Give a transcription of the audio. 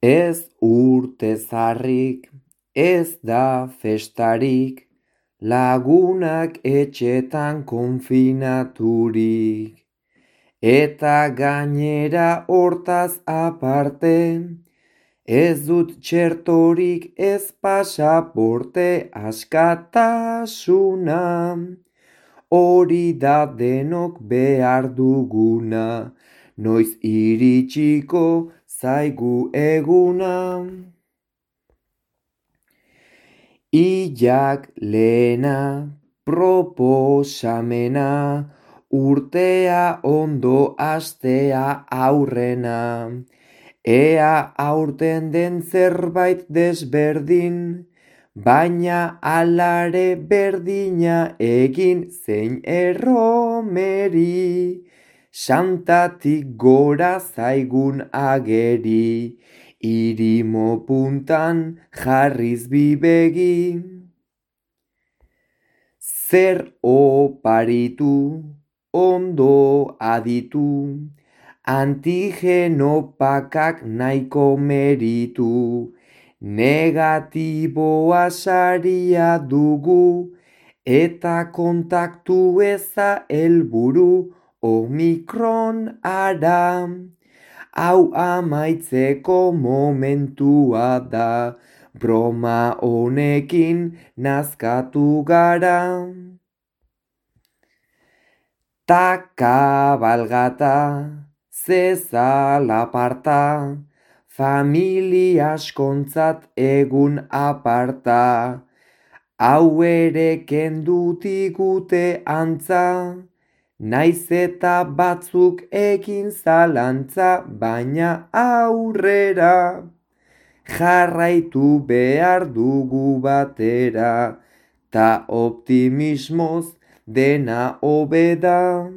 Ez urte zarrik, ez da festarik, lagunak etxetan konfinaturik. Eta gainera hortaz aparte, ez dut txertorik ez pasaporte askatasuna. Hori da denok behar duguna, noiz iritsiko zaigu eguna. Ilak lehena, proposamena, urtea ondo hastea aurrena. Ea aurten den zerbait desberdin, baina alare berdina egin zein erromeri. Santatik gora zaigun ageri, irimo puntan jarriz bibegi. Zer oparitu, ondo aditu, antigenopakak nahiko meritu. Negatiboa saria dugu, eta kontaktu eza helburu Omikron ara. Hau amaitzeko momentua da, broma honekin nazkatu gara. Ta kabalgata, zezalaparta, familia askontzat egun aparta. Hau ere kendu digute antza, naiz eta batzuk egin zalantza, baina aurrera. Jarraitu behar dugu batera, ta optimismoz dena hobe da.